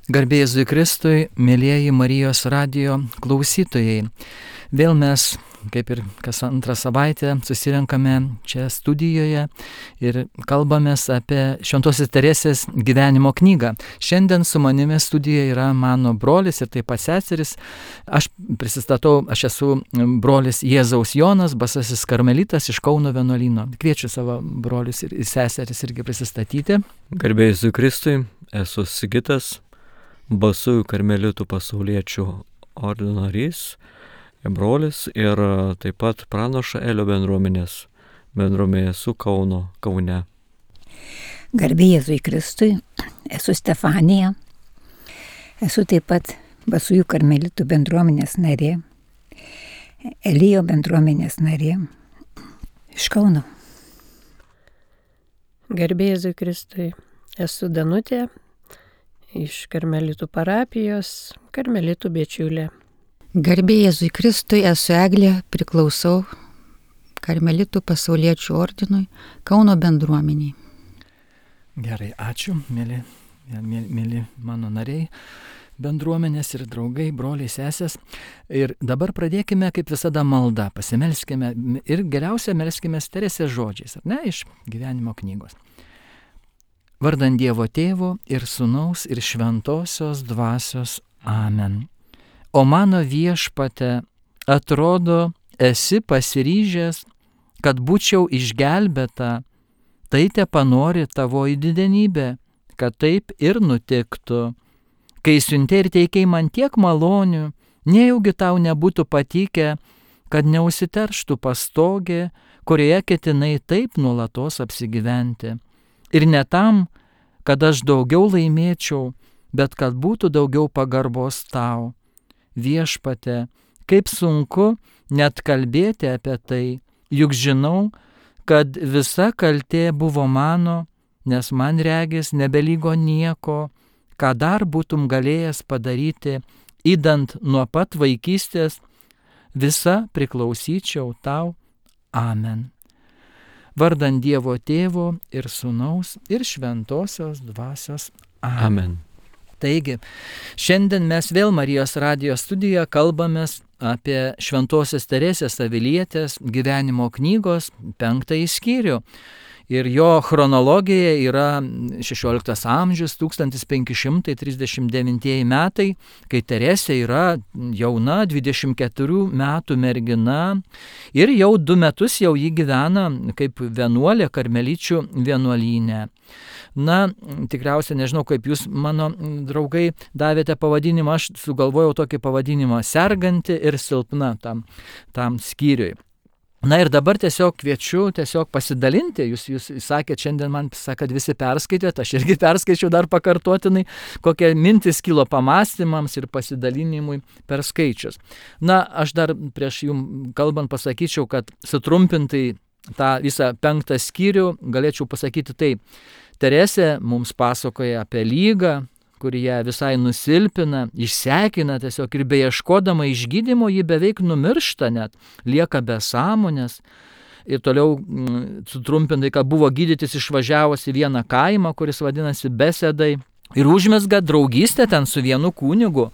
Garbė Jėzui Kristui, mėlyjeji Marijos radijo klausytojai. Vėl mes, kaip ir kas antrą savaitę, susirenkame čia studijoje ir kalbamės apie Šventosios Teresės gyvenimo knygą. Šiandien su manimi studijoje yra mano brolis ir taip pat seseris. Aš prisistatau, aš esu brolis Jėzaus Jonas, basasis karmelitas iš Kauno vienuolyno. Kviečiu savo brolius ir seseris irgi prisistatyti. Garbė Jėzui Kristui, esu Sigitas, basųjų karmelitų pasauliečių ordino narys, brolis ir taip pat Pranašo Elio bendruomenė su Kaune. Garbė Jėzui Kristui, esu Stefanija, esu taip pat basųjų karmelitų bendruomenės narė, Elijo bendruomenės narė iš Kauno. Garbė Jėzui Kristui, esu Danutė iš karmelitų parapijos, karmelitų bičiulė. Garbė Jėzui Kristui, esu Eglė, priklausau karmelitų pasauliečių ordinui, Kauno bendruomeniai. Gerai, ačiū, mėly mano nariai, bendruomenės ir draugai, broliai, sesės. Ir dabar pradėkime, kaip visada, maldą. Pasimelskime ir geriausia melskime Teresės žodžiais, ar ne, iš gyvenimo knygos. Vardant Dievo Tėvo ir Sūnaus ir Šventosios Dvasios. Amen. O mano Viešpate, atrodo, esi pasiryžęs, kad būčiau išgelbėta, tai tepanori tavoji didenybė, kad taip ir nutiktų. Kai siuntė ir teikei man tiek malonių, nejaugi tau nebūtų patikę, kad neužsiterštų pastogė, kurioje ketinai taip nuolatos apsigyventi. Ir ne tam, kad aš daugiau laimėčiau, bet kad būtų daugiau pagarbos tau. Viešpate, kaip sunku net kalbėti apie tai, juk žinau, kad visa kaltė buvo mano, nes man regis nebelygo nieko, ką dar būtum galėjęs padaryti, įdant nuo pat vaikystės, visa priklausyčiau tau. Amen. Vardant Dievo Tėvo ir Sūnaus ir Šventosios Dvasios. Amen. Taigi, šiandien mes vėl Marijos radijo studijoje kalbamės apie Šventosios Teresės Avilietės gyvenimo knygos 5 skyrių. Ir jo chronologija yra 16 amžius, 1539 metai, kai Teresė yra jauna 24 metų mergina ir jau 2 metus jau ji gyvena kaip vienuolė karmeličių vienuolyne. Na, tikriausiai nežinau, kaip jūs, mano draugai, davėte pavadinimą, aš sugalvojau tokį pavadinimą - serganti ir silpna tam skyriui. Na ir dabar tiesiog kviečiu pasidalinti, jūs sakėt, šiandien man sakėt, visi perskaitėt, aš irgi perskaičiau dar pakartotinai, kokie mintis kilo pamastymams ir pasidalinimui per skaičius. Na, aš dar prieš jums kalbant pasakyčiau, kad sutrumpintai tą visą 5 skyrių galėčiau pasakyti taip. Teresė mums pasakoja apie lygą, kuri ją visai nusilpina, išsekina tiesiog ir beieškodama išgydymo ji beveik numiršta net, lieka be sąmonės. Ir toliau sutrumpintai, kad buvo gydytis išvažiavus į vieną kaimą, kuris vadinasi Besedai, ir užmezga draugystę ten su vienu kunigu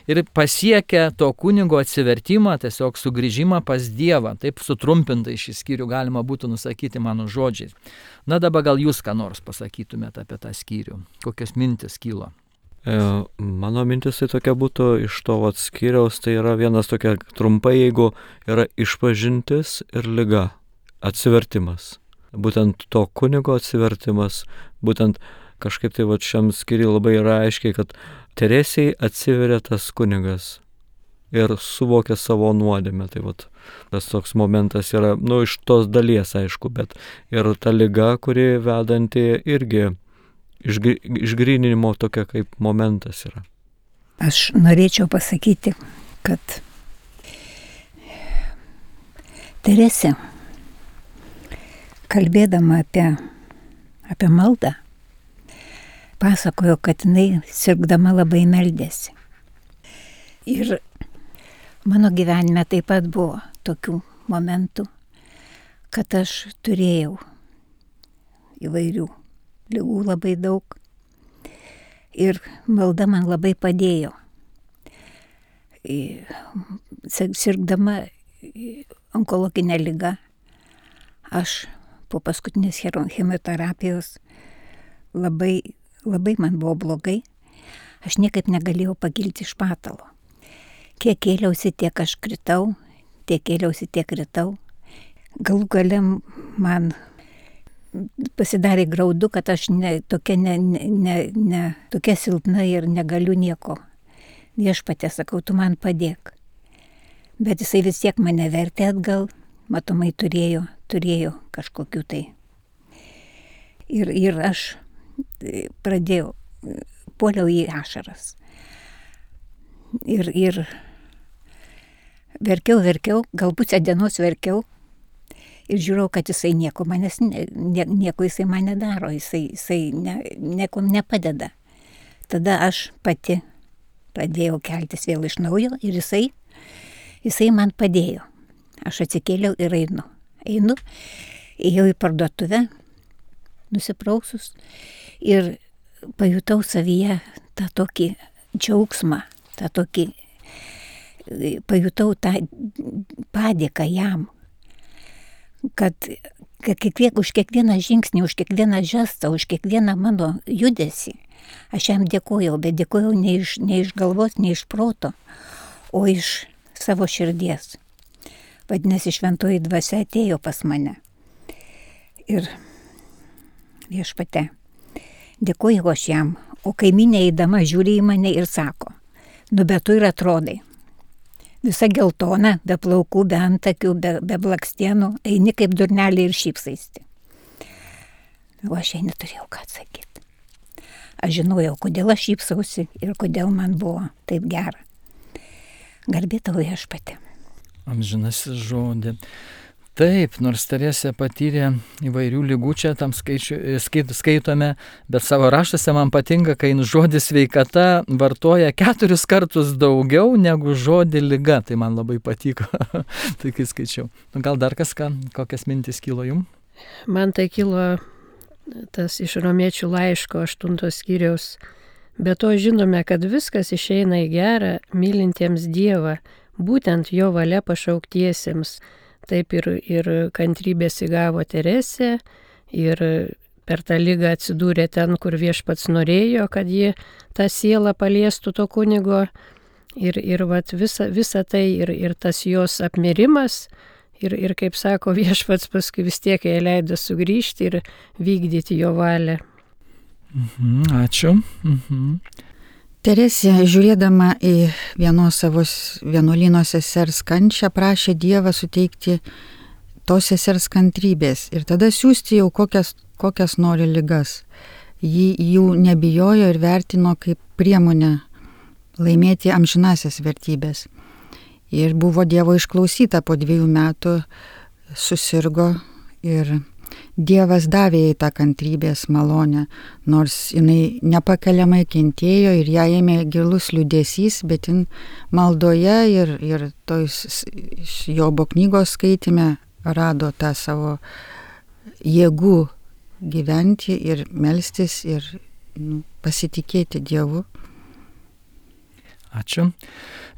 ir pasiekia to kunigo atsivertimą, tiesiog sugrįžimą pas Dievą. Taip sutrumpintai šį skyrių galima būtų nusakyti mano žodžiais. Na dabar gal jūs ką nors pasakytumėte apie tą skyrių, kokios mintis kilo? Mano mintis tai tokia būtų iš to skyriaus, tai yra vienas tokia trumpai, jeigu yra išpažintis ir liga, atsivertimas. Būtent to kunigo atsivertimas, būtent kažkaip tai šiam skyriui labai yra aiškiai, kad Teresei atsiveria tas kunigas ir suvokia savo nuodėmę. Tai tas toks momentas yra, iš tos dalies aišku, bet ir ta liga, kuri vedanti irgi išgryninimo tokia kaip momentas yra. Aš norėčiau pasakyti, kad Teresė, kalbėdama apie maldą, pasakojo, kad jinai sirgdama labai meldėsi. Ir mano gyvenime taip pat buvo tokių momentų, kad aš turėjau įvairių ligų labai daug. Ir malda man labai padėjo. Sirgdama onkologinę ligą, aš po paskutinės chemoterapijos labai man buvo blogai. Aš niekaip negalėjau pakilti iš patalo. Kiek kėliausi, tiek aš kritau, tiek kėliausi, tiek kritau. Galų gale man pasidarė graudu, kad aš tokia silpna ir negaliu nieko. Viešpatie, sakau, tu man padėk. Bet jisai vis tiek mane vertė atgal, matomai turėjo kažkokių tai. Ir aš puoliau į ašaras. Ir verkiau, gal pusę dienos verkiau. Ir žiūrėjau, kad jisai nieko jisai man nedaro, jisai nieko nepadeda. Tada aš pati pradėjau keltis vėl iš naujo ir jisai man padėjo. Aš atsikėliau ir einu. Ėjau į parduotuvę, nusiprausus ir pajutau savyje tą tokį džiaugsmą, pajutau tą padėką jam, kad už kiekvieną žingsnį, už kiekvieną žestą, už kiekvieną mano judesį aš jam dėkojau, bet dėkojau ne iš galvos, ne iš proto, o iš savo širdies. Vadinasi, šventoji dvasia atėjo pas mane. Ir Viešpatie, dėkojau aš jam, o kaimynė eidama žiūri į mane ir sako, bet tu ir atrodai. Visa geltona, be plaukų, be antakių, be blakstienų, eini kaip durnelė ir šypsaisti. O aš jai neturėjau ką atsakyti. Aš žinojau, kodėl aš šypsausi ir kodėl man buvo taip gera. Garbė tau, Viešpatie. Amžinasis žodį. Taip, nors Teresė patyrė įvairių lygų, čia tam skaitome, bet savo raštuose man patinka, kai žodis sveikata vartoja 4 kartus daugiau negu žodį lyga. Tai man labai patiko, tai kai skaičiau. Gal dar kokias mintis kilo jum? Man tai kilo tas iš Romiečių laiško 8 skyriaus. Be to žinome, kad viskas išeina į gerą, mylintiems Dievą, būtent jo valia pašauktiesiems. Taip ir kantrybės įgavo Teresė, ir per tą ligą atsidūrė ten, kur Viešpats norėjo, kad ji tą sielą paliestų to kunigo. Ir vat visa tai, ir tas jos apmirimas, ir kaip sako Viešpats, paskui vis tiek jai leido sugrįžti ir vykdyti jo valią. Ačiū. Teresė, žiūrėdama į vienos savo vienuolyno sesers kančią, prašė Dievą suteikti tos sesers kantrybės ir tada siūsti jau kokias nori ligas. Ji jų nebijojo ir vertino kaip priemonę laimėti amžinasias vertybės. Ir buvo Dievo išklausyta, po 2 metų susirgo ir Dievas davė jai tą kantrybės malonę, nors jinai nepakeliamai kentėjo ir ją ėmė gilus liūdesys, bet jin maldoje ir Jobo knygos skaitime rado tą savo jėgų gyventi ir melstis ir pasitikėti Dievu. Ačiū.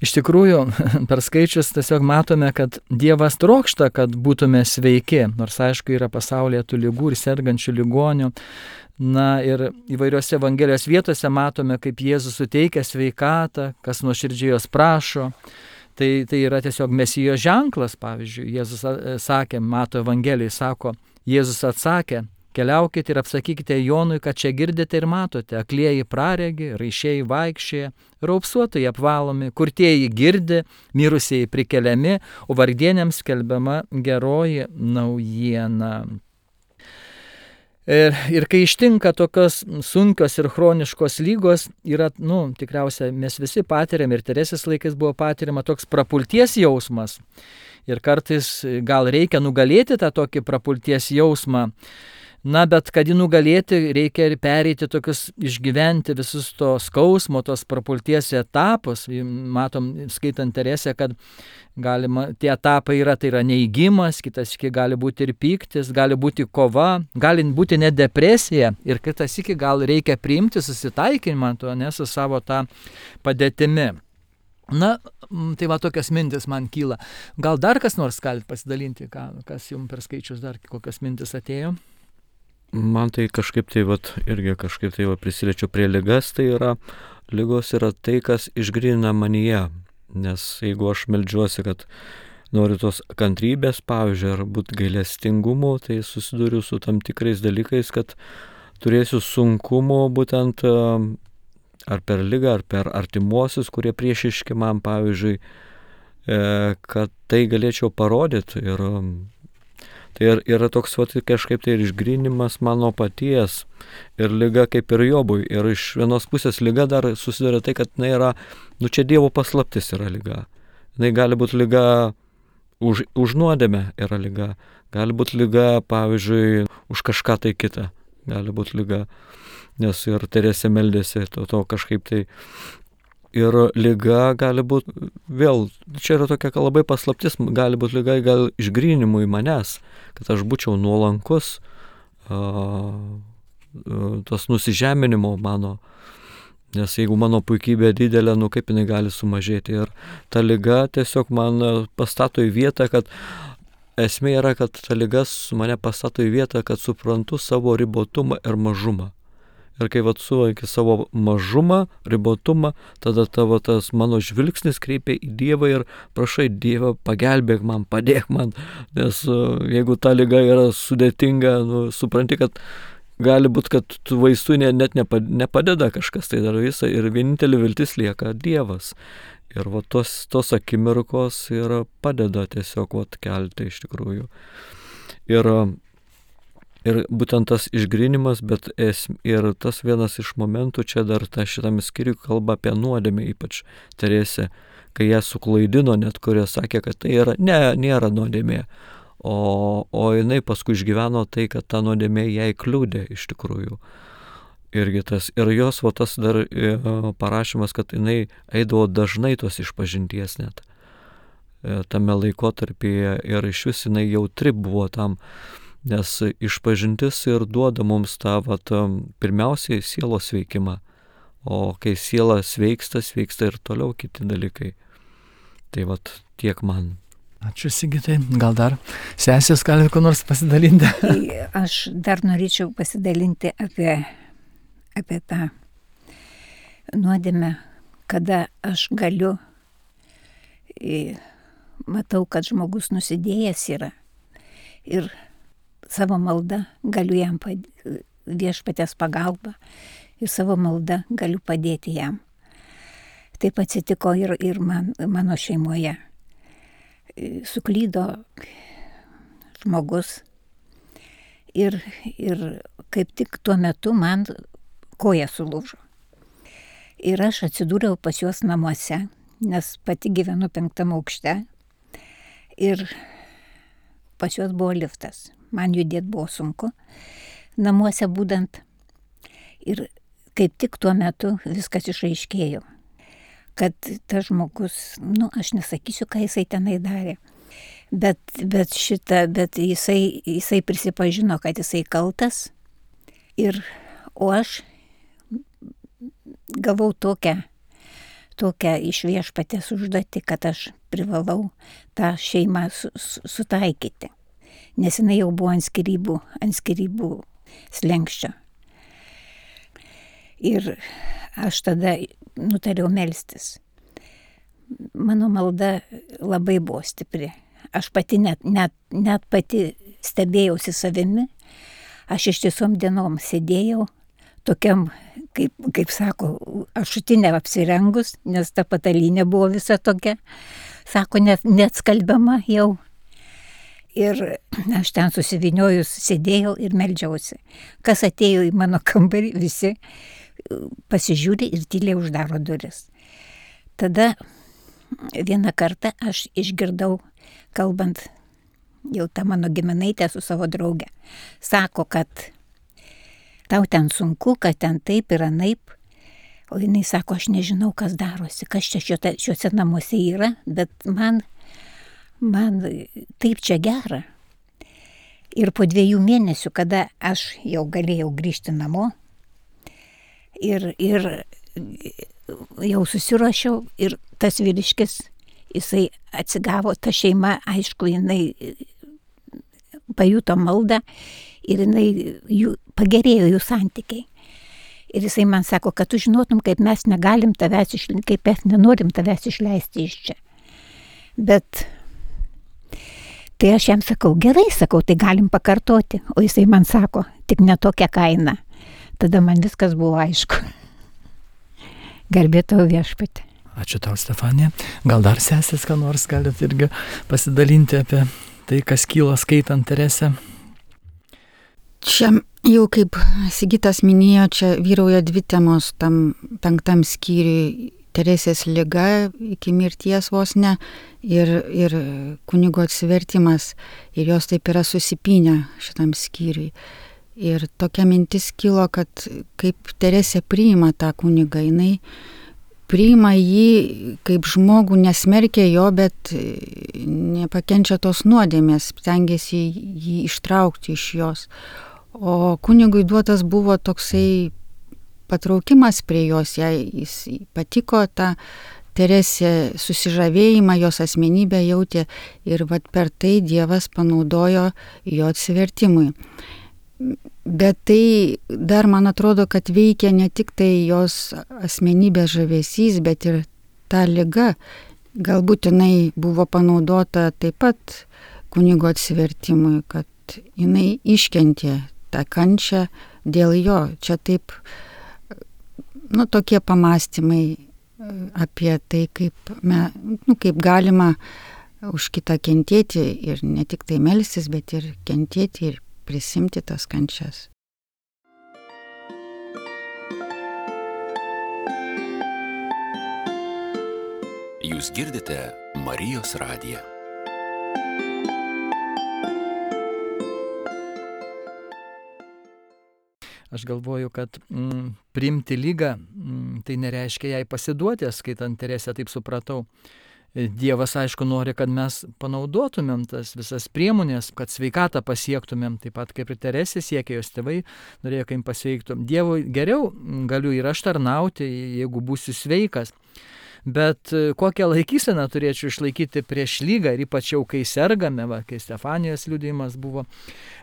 Iš tikrųjų, per skaičius tiesiog matome, kad Dievas trokšta, kad būtume sveiki, nors aišku yra pasaulyje tų ligų ir sergančių ligonių. Na ir įvairiose Evangelijos vietose matome, kaip Jėzus suteikia sveikatą, kas nuoširdžiai jos prašo. Tai yra tiesiog Mesijo ženklas, pavyzdžiui. Jėzus sakė, Mato Evangelijai sako, Jėzus atsakė, keliaukite ir apsakykite Jonui, kad čia girdite ir matote, aklieji praregi, raišieji vaikščioja, raupsuotojai apvalomi, kurtieji girdi, mirusieji prikeliami, o vargdieniams skelbiama geroji naujiena. Ir kai ištinka tokios sunkios ir chroniškos lygos, yra, tikriausiai mes visi patiriam, ir Teresės laikais buvo patiriama toks prapulties jausmas. Ir kartais gal reikia nugalėti tą tokį prapulties jausmą. Na, bet kad jį nugalėti, reikia ir pereiti tokius, išgyventi visus to skausmo, tos prapulties etapus. Matom, skaitant Teresę, kad galima, tie etapai yra, tai yra neigimas, kitas iki gali būti ir pyktis, gali būti kova, gali būti net depresija ir kitas iki gal reikia priimti susitaikinimą, su savo tą padėtimi. Na, tai va tokias mintis man kyla. Gal dar kas nors galite pasidalinti, kas jums per skaičius dar kokias mintis atėjo? Man tai kažkaip tai irgi kažkaip tai prisiliečiu prie ligas, tai yra, ligos yra tai, kas išgrynina manyje. Nes jeigu aš meldžiuosi, kad noriu tos kantrybės, pavyzdžiui, ar būt gailestingumu, tai susiduriu su tam tikrais dalykais, kad turėsiu sunkumo būtent ar per ligą, ar per artimuosius, kurie priešiški man, pavyzdžiui, kad tai galėčiau parodyti. Ir tai yra toks kažkaip tai ir išgrinimas mano paties. Ir liga kaip ir Jobui. Ir iš vienos pusės liga dar susiduria tai, kad jinai yra, čia Dievo paslaptis yra liga. Jinai gali būti liga už nuodėmę yra liga. Gali būti liga, pavyzdžiui, už kažką tai kitą. Gali būti liga. Nes ir Teresė meldėsi to kažkaip tai. Ir liga gali būti, vėl, čia yra tokia labai paslaptis, gali būti liga gal išgrynimui manęs, kad aš būčiau nuolankus, tos nusižeminimo mano, nes jeigu mano puikybė didelė, kaip jinai gali sumažėti. Ir ta liga tiesiog man pastato į vietą, kad esmė yra, kad ta liga mane pastato į vietą, kad suprantu savo ribotumą ir mažumą. Ir kai suvoki savo mažumą, ribotumą, tada tavo tas mano žvilgsnis kreipia į Dievą ir prašai Dievą, pagelbėk man, padėk man. Nes jeigu ta liga yra sudėtinga, supranti, kad gali būti, kad tų vaistų net nepadeda kažkas, tai dar visą. Ir vienintelė viltis lieka Dievas. Ir tos akimirkos ir padeda tiesiog kelti iš tikrųjų. Ir būtent tas išgrinimas, bet ir tas vienas iš momentų, čia dar šitame skyriuje kalba apie nuodėmę, ypač Teresė, kai ją suklaidino, net kurie sakė, kad tai nėra nuodėmė, o jinai paskui išgyveno tai, kad ta nuodėmė jai kliūdė iš tikrųjų. Ir jos tas dar parašymas, kad jinai eidavo dažnai tos išpažinties net tame laikotarpyje ir iš vis jinai jautri buvo tam. Nes išpažintis ir duoda mums tą pirmiausiai sielos veikimą, o kai siela sveiksta ir toliau kiti dalykai. Tai tiek man. Ačiū Sigitai, gal dar sesės gali ko nors pasidalinti? Aš dar norėčiau pasidalinti apie tą nuodėmę, kada aš galiu, matau, kad žmogus nusidėjęs yra ir savo maldą galiu jam viešpaties pagalbą ir savo maldą galiu padėti jam. Taip atsitiko ir mano šeimoje. Suklydo žmogus ir kaip tik tuo metu man koja sulūžo. Ir aš atsidūriau pas juos namuose, nes pati gyvenu 5. aukšte ir pas juos buvo liftas. Man judėti buvo sunku, namuose būdant. Ir kaip tik tuo metu viskas išaiškėjo, kad tas žmogus, aš nesakysiu, ką jisai tenai darė, bet jisai prisipažino, kad jisai kaltas. O aš gavau tokią iš viešpaties užduotį, kad aš privalau tą šeimą sutaikyti. Nes jinai jau buvo ant skyrybų slenkščio. Ir aš tada nutariau melstis. Mano malda labai buvo stipri. Aš pati net pati stebėjausi savimi. Aš ištisom dienom sėdėjau tokiam, kaip sako, ašutinė apsirengus, nes ta patalynė buvo visa tokia. Sako, net skalbiama jau. Ir aš ten susiviniojus sėdėjau ir meldžiausi. Kas atėjo į mano kambarį, visi pasižiūri ir tyliai uždaro duris. Tada vieną kartą aš išgirdau, kalbant jau ta mano giminaitė su savo drauge, sako, kad tau ten sunku, kad ten taip ir anaip. O jinai sako, aš nežinau, kas darosi, kas čia šiuose namuose yra, bet man taip čia gera. Ir po 2 mėnesių, kada aš jau galėjau grįžti namo ir jau susiruošiau ir tas vyriškis, jisai atsigavo, ta šeima, aišku, jinai pajuto maldą ir pagerėjo jų santykiai. Ir jisai man sako, kad tu žinotum, kaip mes nenorim tavęs išleisti iš čia. Bet tai aš jam sakau, gerai, tai galim pakartoti. O jisai man sako, tik ne tokia kaina. Tada man viskas buvo aišku. Garbė tau Viešpatie. Ačiū tau, Stefanija. Gal dar sesės, ką nors galit irgi pasidalinti apie tai, kas kyla skaitant Teresę? Čia jau kaip Sigitas minėjo, čia vyrauja 2 temos tam 5 skyriui. Teresės liga iki mirties vos ne ir kunigo atsivertimas. Ir jos taip yra susipynę šitam skyriui. Ir tokia mintis kilo, kad kaip Teresė priima tą kunigą, jinai priima jį kaip žmogų, nesmerkia jo, bet nepakenčia tos nuodėmės, stengiasi jį ištraukti iš jos. O kunigui duotas buvo toksai patraukimas prie jos, jis patiko tą Teresę susižavėjimą, jos asmenybę jautė ir per tai Dievas panaudojo jo atsivertimui. Bet tai dar man atrodo, kad veikia ne tik tai jos asmenybės žavesys, bet ir ta liga. Galbūt jinai buvo panaudota taip pat kunigo atsivertimui, kad jinai iškentė tą kančią dėl jo. Čia taip, tokie pamastymai apie tai, kaip galima už kitą kentėti ir ne tik tai melstis, bet ir kentėti ir prisimti tas kančias. Jūs girdite Marijos radiją. Aš galvoju, kad priimti ligą, tai nereiškia jai pasiduoti, skaitant Teresę, taip supratau. Dievas, aišku, nori, kad mes panaudotumėm tas visas priemonės, kad sveikatą pasiektumėm, taip pat kaip ir Teresė siekė, jos tėvai norėjo, kad jim pasveiktų. Dievui geriau galiu ir aš tarnauti, jeigu būsiu sveikas. Bet kokią laikyseną turėčiau išlaikyti prieš lygą ir ypač jau kai sergame, kai Stefanijos liudijimas buvo.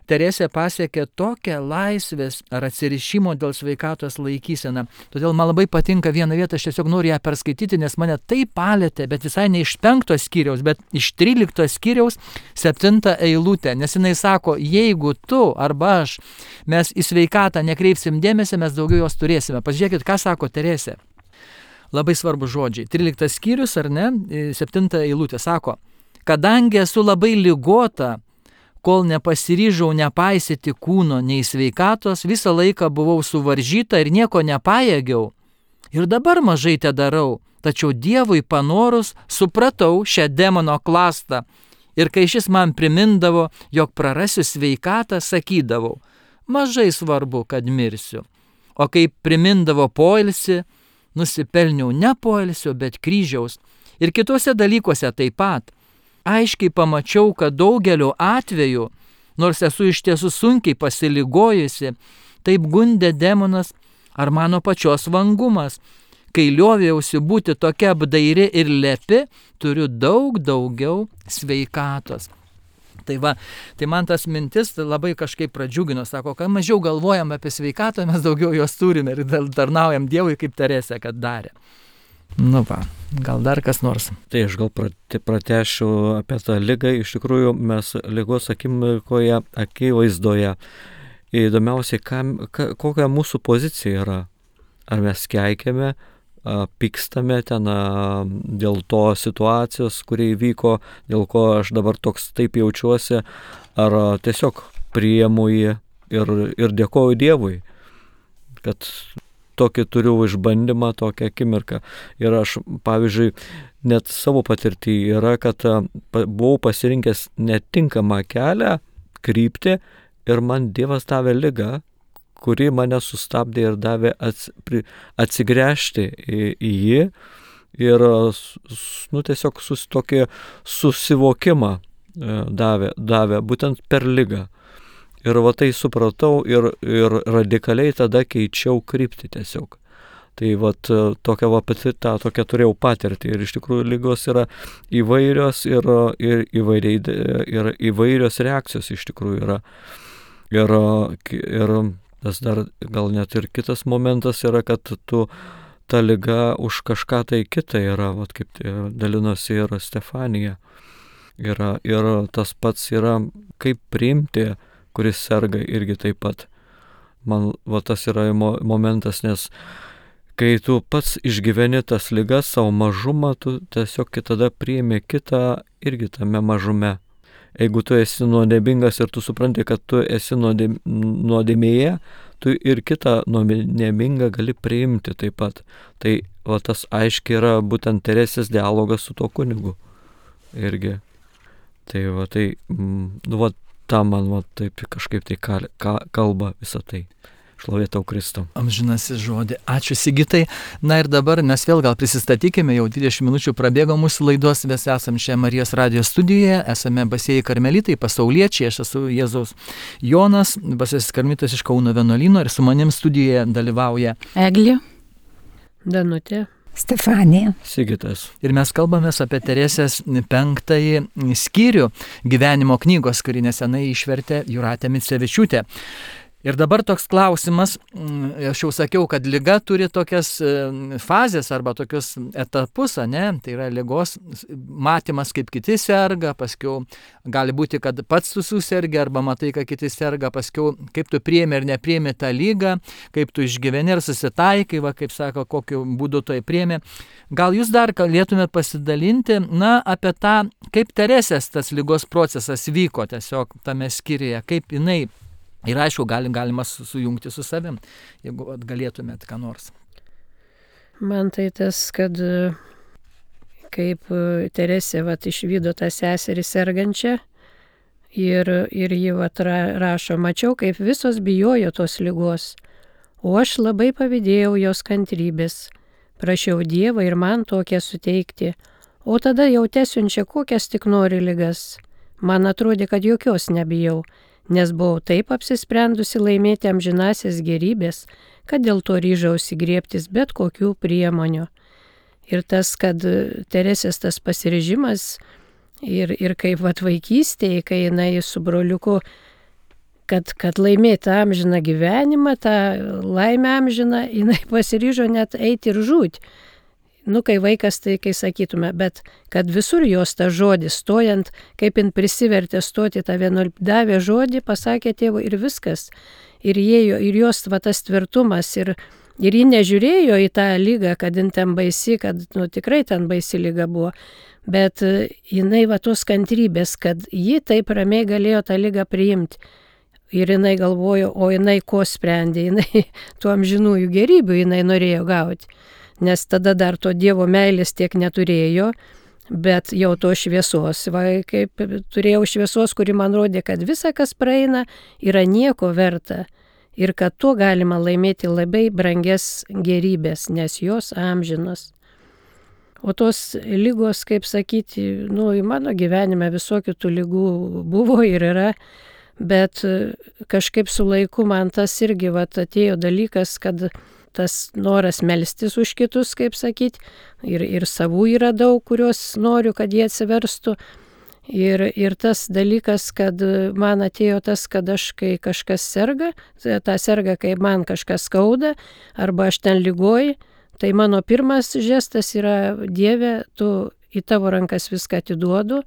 Teresė pasiekė tokią laisvės ar atsirišimo dėl sveikatos laikyseną. Todėl man labai patinka viena vieta, aš tiesiog noriu ją perskaityti, nes mane taip palėtė, bet visai ne iš 5 skyriaus, bet iš 13 skyriaus 7 eilutė. Nes jinai sako, jeigu tu arba aš, mes į sveikatą nekreipsim dėmesį, mes daugiau jos turėsime. Pažiūrėkit, ką sako Teresė. Labai svarbu žodžiai. 13 skyrius, ar ne? 7 eilutė sako, kadangi esu labai ligota, kol nepasiryžau nepaisyti kūno nei sveikatos, visą laiką buvau suvaržyta ir nieko nepajėgiau. Ir dabar mažai te darau, tačiau Dievui panorus supratau šią demono klastą. Ir kai šis man primindavo, jog prarasiu sveikatą, sakydavau, mažai svarbu, kad mirsiu. O kai primindavo poilsį, nusipelniau ne poilsio, bet kryžiaus. Ir kitose dalykuose taip pat. Aiškiai pamačiau, kad daugeliu atveju, nors esu iš tiesų sunkiai pasiligojusi, taip gundė demonas ar mano pačios vangumas. Kai liovėjausi būti tokia apdairi ir lepi, turiu daug daugiau sveikatos. Tai man tas mintis labai kažkaip pradžiugino, sako, kad mažiau galvojam apie sveikatą, mes daugiau jos turime ir tarnaujam Dievui, kaip Teresė, kad darė. Gal dar kas nors. Tai aš gal pratešiu apie tą ligą. Iš tikrųjų, mes ligos akivaizdoje. Įdomiausiai, kokia mūsų pozicija yra. Ar mes keikiame, pykstame ten dėl to situacijos, kuri įvyko, dėl ko aš dabar taip jaučiuosi, ar tiesiog priimu jį ir dėkoju Dievui, kad tokį turiu išbandymą, tokią akimirką. Ir aš, pavyzdžiui, net savo patirtį yra, kad buvau pasirinkęs netinkamą kelią, kryptį ir man Dievas davė ligą, kuri mane sustabdė ir davė atsigręžti į jį ir tiesiog tokį susivokimą davė būtent per ligą. Ir va tai supratau ir radikaliai tada keičiau kryptį tiesiog. Tai va tokia tokia turėjau patirtį ir iš tikrųjų ligos yra įvairios ir įvairios reakcijos iš tikrųjų yra. Ir tas dar gal net ir kitas momentas yra, kad ta liga už kažką tai kitą yra, vat kaip dalinosi ir Stefanija. Ir tas pats yra, kaip priimti, kuris serga irgi taip pat. Man va tas yra momentas, nes kai tu pats išgyveni tas ligas, savo mažumą, tu tiesiog tada priimi kitą irgi tame mažume. Jeigu tu esi nuodėmingas ir tu supranti, kad tu esi nuodėmėje, tu ir kitą nuodėmingą gali priimti taip pat. Tai va tas aiškiai yra būtent Teresės dialogas su tuo kunigu irgi. Tai va tai, va ta man va taip kažkaip tai kalba visą tai. Šlovė tau Kristau. Amžinasis žodį. Ačiū Sigitai. Na ir dabar mes vėl gal prisistatykime, jau 20 minučių prabėgo mūsų laidos, mes esam čia Marijos radijo studijoje, esame Basieji karmelitai, pasauliečiai, aš esu Jėzaus Jonas, Basiesis karmelitas iš Kauno vienuolyno ir su manim studijoje dalyvauja Eglė, Danutė, Stefanija. Sigitas. Ir mes kalbamės apie Teresės 5 skyrių gyvenimo knygos, kurį nesenai išvertė Jūratė Micevičiūtė. Ir dabar toks klausimas, aš jau sakiau, kad liga turi tokias fazės arba tokius etapus, ne? Tai yra ligos matymas, kaip kiti serga, paskiau gali būti, kad pats tu susergi arba matai, kad kiti serga, paskiau kaip tu priimi ar nepriimi tą lygą, kaip tu išgyveni ar susitaikai, va, kaip sako, kokiu būdu tai priimi. Gal jūs dar galėtumėt pasidalinti, apie tą, kaip Teresės tas ligos procesas vyko tiesiog tame skyriuje, kaip jinai. Ir aišku, galima sujungti su savim, jeigu galėtumėt ką nors. Man tai tas, kad kaip Teresė išvydo tą seserį sergančią ir ji rašo, mačiau, kaip visos bijojo tos ligos, o aš labai pavydėjau jos kantrybės, prašiau Dievą ir man tokią suteikti, o tada jau tesiunčia kokias tik nori ligas. Man atrodė, kad jokios nebijau, nes buvau taip apsisprendusi laimėti amžinasias gerybės, kad dėl to ryžausi griebtis bet kokių priemonių. Ir tas, kad Teresės tas pasiryžimas ir kaip vaikystėje, kai jinai su broliuku, kad laimėti amžiną gyvenimą, tą laimę amžiną, jinai pasiryžo net eiti ir žūti. Kai vaikas, tai kai sakytume, bet kad visur jos tą žodį stojant, kaip jin prisivertė stoti tą davė žodį, pasakė tėvui ir viskas. Ir jos tas tvirtumas ir ji nežiūrėjo į tą lygą, kad jin ten baisi, kad tikrai ten baisi lyga buvo. Bet jinai tos kantrybės, kad ji taip ramiai galėjo tą lygą priimti. Ir jinai galvojo, o jinai ko sprendė, jinai tų amžinųjų gerybių jinai norėjo gauti. Nes tada dar to Dievo meilės tiek neturėjo, bet jau to šviesos, kaip turėjau šviesos, kuri man rodė, kad visa, kas praeina, yra nieko verta ir kad tuo galima laimėti labai brangias gerybės, nes jos amžinos. O tos lygos, kaip sakyti, į mano gyvenime visokių tų lygų buvo ir yra, bet kažkaip su laiku man tas irgi atėjo dalykas, kad tas noras melstis už kitus, kaip sakyti, ir savų yra daug, kurios noriu, kad jie atsiverstų. Ir tas dalykas, kad man atėjo tas, kad aš, kai kažkas serga, ta serga, kai man kažkas skauda, arba aš ten lygoju, tai mano pirmas žestas yra Dieve, tu į tavo rankas viską atiduodu.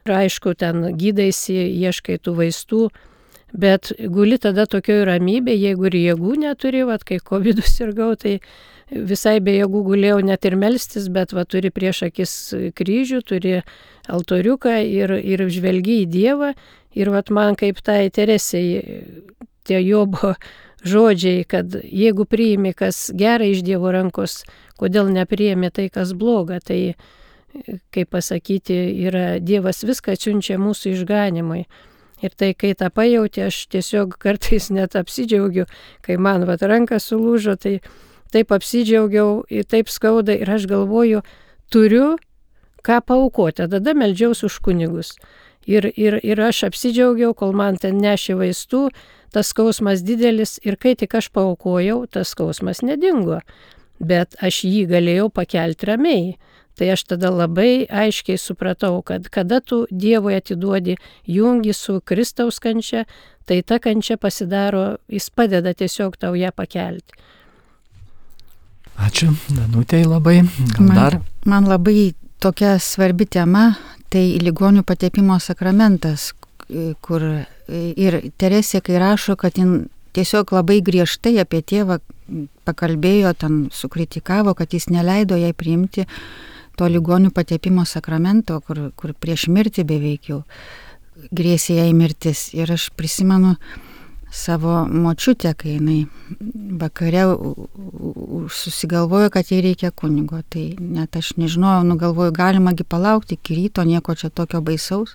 Ir aišku, ten gydaisi, ieškai tų vaistų, bet guli tada tokioj ramybė, jeigu ir jėgų neturi, kai COVID sirgau, tai visai be jėgų gulėjau net ir melstis, bet turi prieš akis kryžių, turi altoriuką ir žvelgi į Dievą. Ir man kaip tai Teresei, tie Jobo žodžiai, kad jeigu priimi, kas gera iš Dievo rankos, kodėl nepriimi tai, kas bloga, tai, kaip pasakyti, yra Dievas viską siunčia mūsų išganimui. Ir tai, kai tą pajauti, aš tiesiog kartais net apsidžiaugiu, kai man ranka sulūžo, tai taip apsidžiaugiau, taip skauda ir aš galvoju, turiu ką paaukoti, tada meldžiausi už kunigus. Ir aš apsidžiaugiau, kol man ten nešė vaistų, tas skausmas didelis ir kai tik aš paaukojau, tas skausmas nedingo, bet aš jį galėjau pakelti ramiai. Tai aš tada labai aiškiai supratau, kad kada tu Dievui atiduodi, jungi su Kristaus kančia, tai ta kančia pasidaro, jis padeda tiesiog tau ją pakelti. Ačiū, Danutei labai. Man labai tokia svarbi tema, tai ligonių patepimo sakramentas, kur ir Teresė, kai rašo, kad jin tiesiog labai griežtai apie tėvą pakalbėjo, ten sukritikavo, kad jis neleido jai priimti to ligonių patepimo sakramento, kur prieš mirtį beveik jau grėsė jai mirtis. Ir aš prisimenu savo močiutę, kai jinai vakare susigalvojo, kad jai reikia kunigo. Tai net aš nežinojau, galvoju, galimagi palaukti iki ryto, nieko čia tokio baisaus.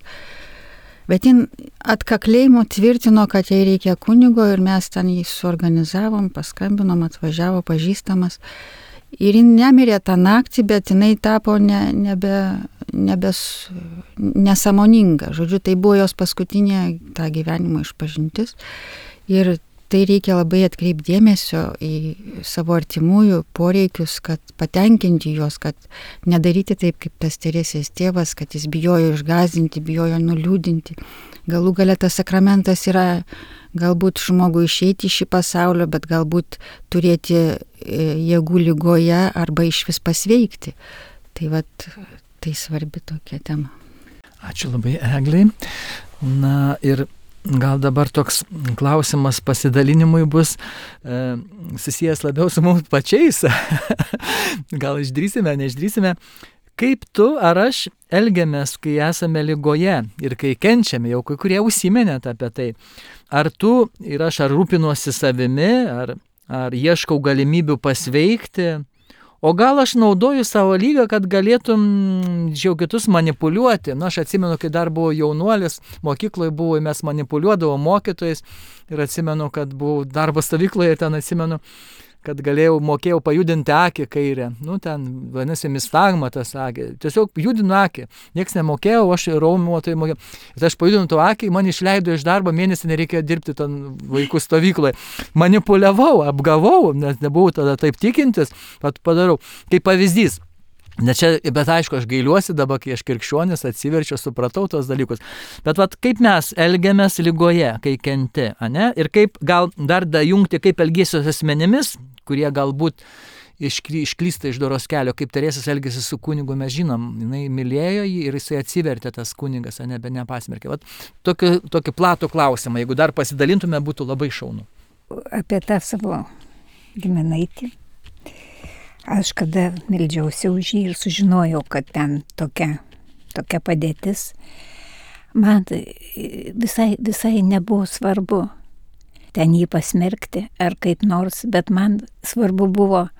Bet jin atkakliai tvirtino, kad jai reikia kunigo ir mes ten jį suorganizavom, paskambinom, atvažiavo pažįstamas. Ir jin nemirė tą naktį, bet jinai tapo nesąmoninga. Žodžiu, tai buvo jos paskutinė tą gyvenimo išpažintis. Ir tai reikia labai atkreipti dėmesio į savo artimųjų poreikius, kad patenkinti juos, kad nedaryti taip, kaip tas Teresės tėvas, kad jis bijojo išgąsdinti, bijojo nuliūdinti. Galų gale tas sakramentas yra galbūt žmogui išeiti iš šį pasaulio, bet galbūt turėti jėgų ligoje arba iš vis pasveikti. Tai tai svarbi tokia tema. Ačiū labai, Eglei. Na ir gal dabar toks klausimas pasidalinimui bus susijęs labiau su mums pačiais. Gal išdrįsime, neišdrįsime. Kaip tu ar aš elgiamės, kai esame ligoje ir kai kenčiame, jau kai kurie užsiminėt apie tai. Ar tu ir aš ar rūpinuosi savimi, ar ieškau galimybių pasveikti, o gal aš naudoju savo lygą, kad galėtum jau kitus manipuliuoti. Aš atsimenu, kai dar buvau jaunuolis, mokykloje buvo, mes manipuliuodavo mokytojais ir atsimenu, kad buvau darbo stovykloje ir ten atsimenu, kad mokėjau pajudinti akį kairę. Ten vadinasi mistagma tas akį. Tiesiog judinu akį. Niekas nemokėjau, aš raumenuotojai mokėjau. Ir aš pajudinu to akį, man išleido iš darbo, mėnesį nereikėjo dirbti ten vaikų stovykloje. Manipuliavau, apgavau, nes nebuvau tada taip tikintis, padarau. Kaip pavyzdys. Bet aišku, aš gailiuosi dabar, kai aš krikščionis atsiverčiau, supratau tos dalykus. Bet kaip mes elgiamės ligoje, kai kenti, ane? Ir kaip gal dar jungti, kaip elgėsios asmenimis, kurie galbūt išklysta iš doros kelio, kaip Teresės elgėsi su kunigu, mes žinom, jinai mylėjo jį ir jisai atsivertė tas kunigas, ane, bet nepasmerkė. Tokį platų klausimą, jeigu dar pasidalintume, būtų labai šaunu. Apie tą savo giminaitį. Aš kada meldžiausi už jį ir sužinojau, kad ten tokia padėtis, man visai nebuvo svarbu ten jį pasmerkti ar kaip nors, bet man svarbu buvo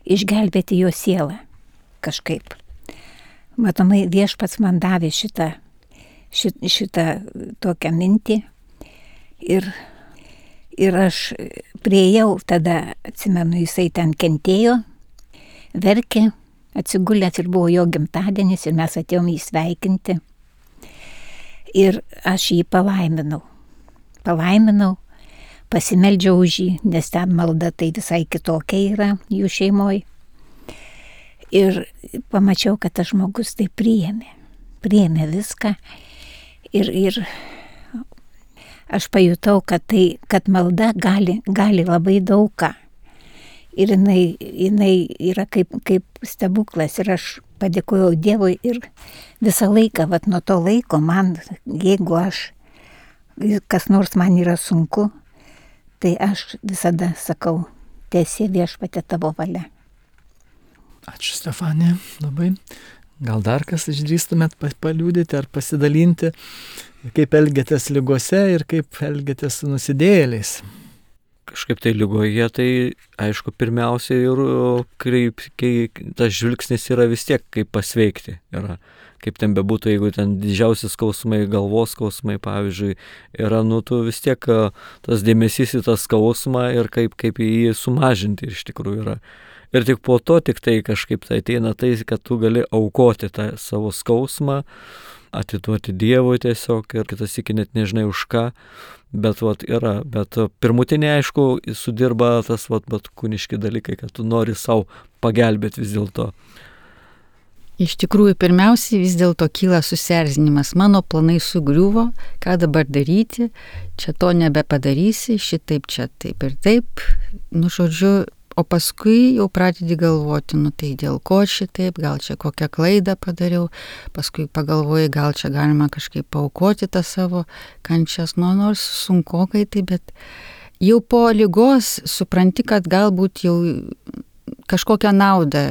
išgelbėti jo sielą kažkaip. Matomai, Viešpats man davė šitą tokią mintį ir aš priėjau, tada atsimenu, jisai ten kentėjo, verkė, atsigulęs ir buvo jo gimtadienis ir mes atėjom jį sveikinti. Ir aš jį palaiminau, pasimeldžiau už jį, nes ten malda tai visai kitokia yra jų šeimoje. Ir pamačiau, kad tas žmogus tai priėmė viską ir aš pajutau, kad malda gali labai daug ką. Ir jinai yra kaip stebuklas ir aš padėkojau Dievui ir visą laiką, nuo to laiko man, jeigu kas nors man yra sunku, tai aš visada sakau, teesie Viešpatie tavo valia. Ačiū, Stefanija, labai. Gal dar kas išdrįstumėt paliudyti ar pasidalinti, kaip elgiatės ligose ir kaip elgiatės su nusidėjėliais? kažkaip tai lygoje, tai aišku, pirmiausia ir kai tas žvilgsnis yra vis tiek kaip pasveikti. Yra, kaip ten bebūtų, jeigu ten didžiausi skausmai, galvos skausmai, pavyzdžiui, yra, tu vis tiek tas dėmesys į tą skausmą ir kaip jį sumažinti iš tikrųjų yra. Ir tik po to tik tai kažkaip tai ateina tai, kad tu gali aukoti tą savo skausmą, atiduoti Dievui tiesiog ir kitas iki net nežinai už ką, bet yra. Bet pirmutinė, aišku, sudirba tas kūniški dalykai, kad tu nori savo pagelbėti vis dėlto. Iš tikrųjų, pirmiausiai vis dėlto kyla susierzinimas. Mano planai sugriuvo, ką dabar daryti, čia to nebepadarysi, šitaip čia taip ir taip. Žodžiu, o paskui jau pradedi galvoti, tai dėl ko šitaip, gal čia kokią klaidą padariau, paskui pagalvoji, gal čia galima kažkaip paaukoti tą savo kančias, nors sunkokai tai, bet jau po ligos supranti, kad galbūt jau kažkokią naudą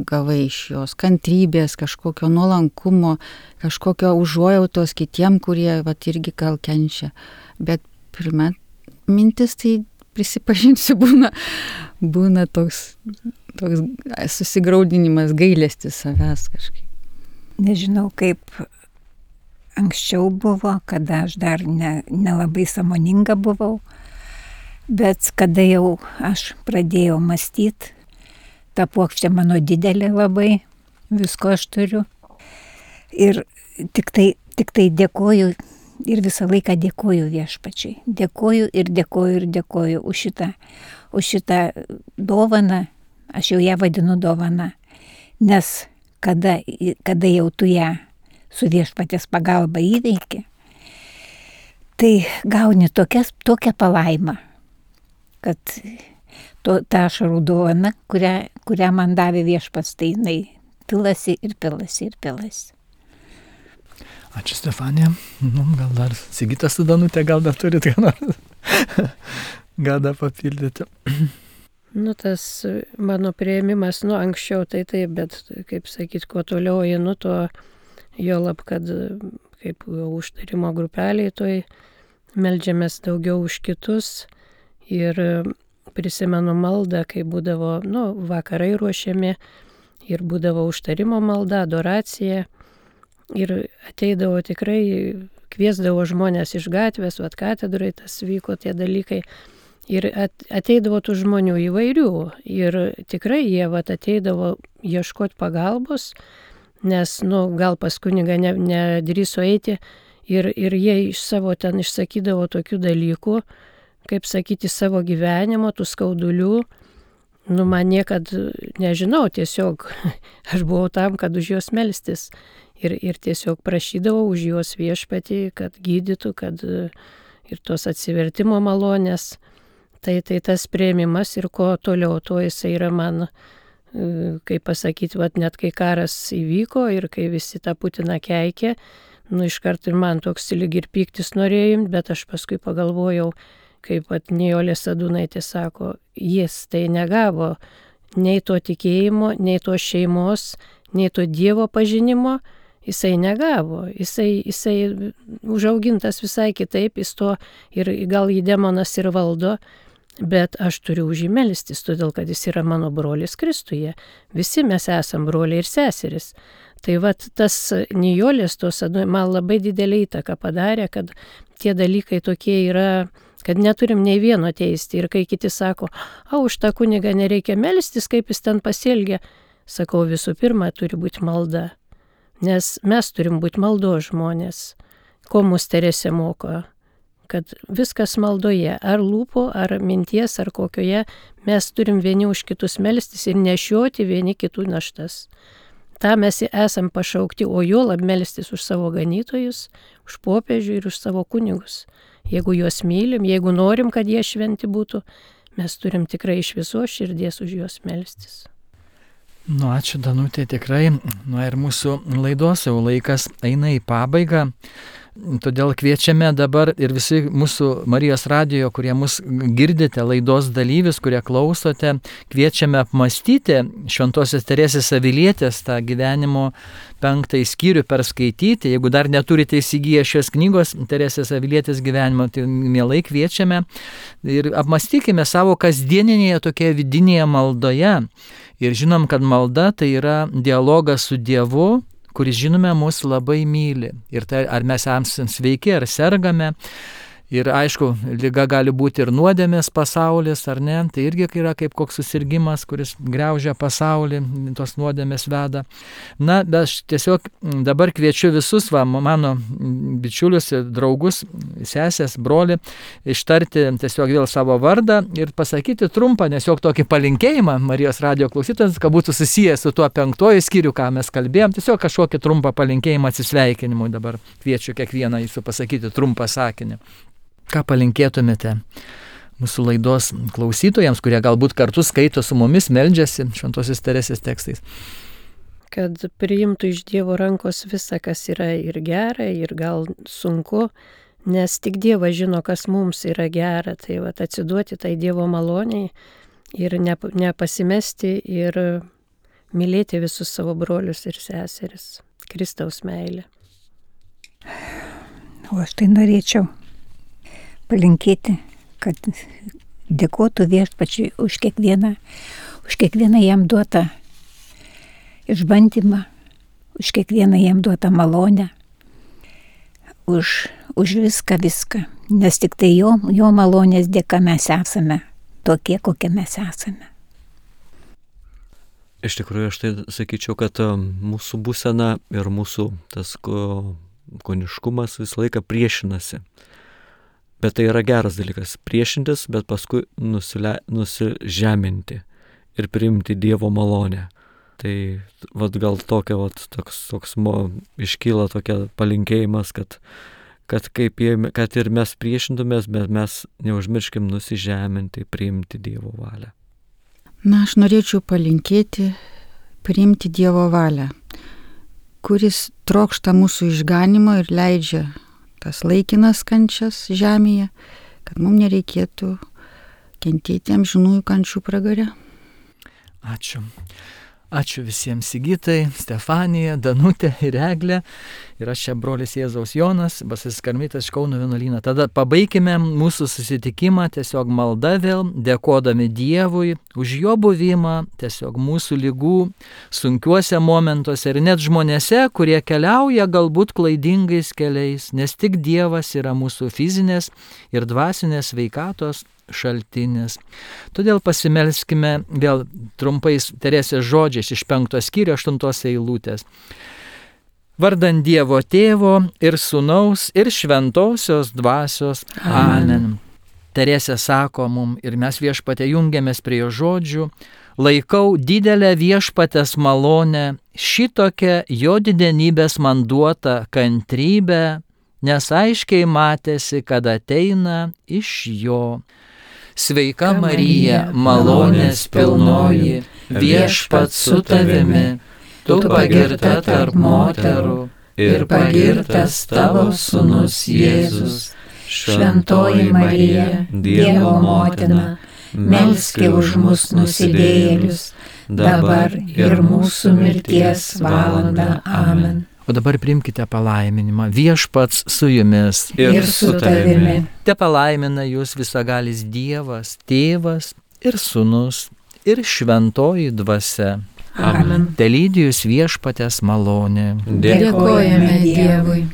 gavai iš jos, kantrybės, kažkokio nuolankumo, kažkokio užuojautos kitiem, kurie irgi gal kenčia. Bet pirma mintis tai prisipažinsiu, būna toks susigraudinimas, gailestis savęs kažkaip. Nežinau, kaip anksčiau buvo, kada aš dar nelabai sąmoninga buvau, bet kada jau aš pradėjau mąstyti, ta puokštė mano didelė labai, visko aš turiu. Ir tik tai dėkoju ir visą laiką dėkoju Viešpačiui. Dėkoju ir dėkoju ir dėkoju už šitą dovaną, aš jau ją vadinu dovana. Nes kada jau tu ją su Viešpaties pagalba įveiki, tai gauni tokią palaimą, kad ta ašarų dovana, kurią man davė Viešpats, tai jinai pilasi ir pilasi ir pilasi. Ačiū, Stefanija. Gal dar Sigitas su Danutė, gal dar turit ką nors? Gal dar papildyti? Tas mano priėmimas, anksčiau tai taip, bet, kaip sakyt, kuo toliau einu, to juolab, kad kaip užtarimo grupeliai, toj meldžiamės daugiau už kitus ir prisimenu maldą, kai būdavo, vakarai ruošiami ir būdavo užtarimo malda, adoracija. Ir ateidavo tikrai, kviesdavo žmonės iš gatvės, katedrai tas vyko tie dalykai. Ir ateidavo tų žmonių įvairių. Ir tikrai jie ateidavo ieškoti pagalbos, nes, gal pas kunigą nedrįso eiti. Ir jie iš savo ten išsakydavo tokių dalykų, kaip sakyti, savo gyvenimo, tų skaudulių. Man niekad nežinau, tiesiog aš buvau tam, kad už juos melstis. Ir tiesiog prašydavau už juos Viešpatį, kad gydytų, kad ir tos atsivertimo malonės. Tai tas priėmimas ir ko toliau, to jisai yra man, kaip pasakyti, net kai karas įvyko ir kai visi tą Putiną keikė, iškart ir man toks lyg ir pyktis norėjim, bet aš paskui pagalvojau, kaip Nijolė Sadūnaitė sako, jis tai negavo nei to tikėjimo, nei to šeimos, nei to Dievo pažinimo, jisai negavo, jisai užaugintas visai kitaip, jis to ir gal jį demonas ir valdo, bet aš turiu už jį melstis, todėl kad jis yra mano brolis Kristuje. Visi mes esam broliai ir seseris. Tai tas Nijolės tos man labai didelį įtaką padarė, kad tie dalykai tokie yra, kad neturim nei vieno teisti. Ir kai kiti sako, už tą kunigą nereikia melstis, kaip jis ten pasielgia, sakau, visų pirma, turi būti malda. Nes mes turim būti maldos žmonės. Ko mus Teresė moko? Kad viskas maldoje, ar lūpo, ar minties, ar kokioje, mes turim vieni už kitus melstis ir nešioti vieni kitų naštas. Ta mes esam pašaukti, o juolab melstis už savo ganytojus, už popiežių ir už savo kunigus. Jeigu juos mylim, jeigu norim, kad jie šventi būtų, mes turim tikrai iš visos širdies už juos melstis. Ačiū, Danutė, tikrai. Ir mūsų laidos jau laikas eina į pabaigą. Todėl kviečiame dabar ir visi mūsų Marijos radijo, kurie mus girdite, laidos dalyvis, kurie klausote, kviečiame apmastyti Šventosios Teresės Avilietės tą gyvenimo 5 skyrių perskaityti. Jeigu dar neturite įsigiję šios knygos Teresės Avilietės gyvenimo, tai mielai kviečiame ir apmastykime savo kasdieninėje tokioje vidinėje maldoje. Ir žinom, kad malda tai yra dialogas su Dievu, kuris, žinome, mus labai myli. Ir tai, ar mes esame sveiki, ar sergame. Ir aišku, liga gali būti ir nuodėmės pasaulis, ar ne. Tai irgi yra kaip koks susirgimas, kuris graužia pasaulį, tos nuodėmės veda. Na, bet aš tiesiog dabar kviečiu visus, mano bičiulius, draugus, sesės, brolį, ištarti tiesiog vėl savo vardą ir pasakyti trumpą, tiesiog tokį palinkėjimą Marijos radijo klausytojams, kad būtų susijęs su tuo 5 skyriu, ką mes kalbėjom. Tiesiog kažkokį trumpą palinkėjimą atsisveikinimui dabar kviečiu kiekvieną jūsų pasakyti trumpą sakinį. Ką palinkėtumėte mūsų laidos klausytojams, kurie galbūt kartu skaito su mumis, meldžiasi Šventosios Teresės tekstais? Kad priimtų iš Dievo rankos visą, kas yra ir gera, ir gal sunku, nes tik Dievas žino, kas mums yra gera. Tai atsiduoti tai Dievo maloniai ir nepasimesti ir mylėti visus savo brolius ir seseris. Kristaus meilė. O aš tai norėčiau palinkėti, kad dėkotų Viešpačiui už kiekvieną jam duotą išbandymą, už kiekvieną jam duotą malonę, už viską, nes tik tai jo malonės dėka mes esame tokie, kokie mes esame. Iš tikrųjų, aš tai sakyčiau, kad mūsų būsena ir mūsų tas kūniškumas visą laiką priešinasi. Bet tai yra geras dalykas - priešintis, bet paskui nusižeminti ir priimti Dievo malonę. Tai gal toks iškyla tokia palinkėjimas, kad ir mes priešintumės, bet mes neužmirškim nusižeminti, priimti Dievo valią. Na, aš norėčiau palinkėti priimti Dievo valią, kuris trokšta mūsų išganimo ir leidžia tas laikinas kančias žemėje, kad mums nereikėtų kentėti amžinųjų kančių pragare. Ačiū. Ačiū visiems Sigitai, Stefanija, Danutė ir Eglė. Ir aš čia brolis Jėzaus Jonas, Basasis Karmelitas iš Kauno vienuolyno. Tada pabaikime mūsų susitikimą tiesiog malda vėl, dėkodami Dievui už jo buvimą, tiesiog mūsų ligų sunkiuose momentuose ir net žmonėse, kurie keliauja galbūt klaidingais keliais, nes tik Dievas yra mūsų fizinės ir dvasinės sveikatos šaltinis. Todėl pasimelskime vėl trumpais Teresės žodžiais iš 5 skyrių 8 eilutės. Vardan Dievo Tėvo ir Sūnaus ir Šventosios Dvasios. Amen. Teresė sako mum ir mes Viešpatie jungiamės prie jo žodžių. Laikau didelę Viešpatės malonę, šitokią jo didenybės man duotą kantrybę, nes aiškiai matėsi, kad ateina iš jo. Sveika Marija, malonės pilnoji, Viešpats su tavimi, tu pagirta tarp moterų ir pagirtas tavo sūnus Jėzus. Šventoji Marija, Dievo motina, melski už mus nusidėjėlius, dabar ir mūsų mirties valandą. Amen. O dabar priimkite palaiminimą. Viešpats su jumis ir su tavimi. Te palaimina jūs visagalis Dievas, Tėvas ir Sūnus ir Šventoji Dvasia. Amen. Te lydi jūs Viešpatės malonė. Dėkojame Dievui.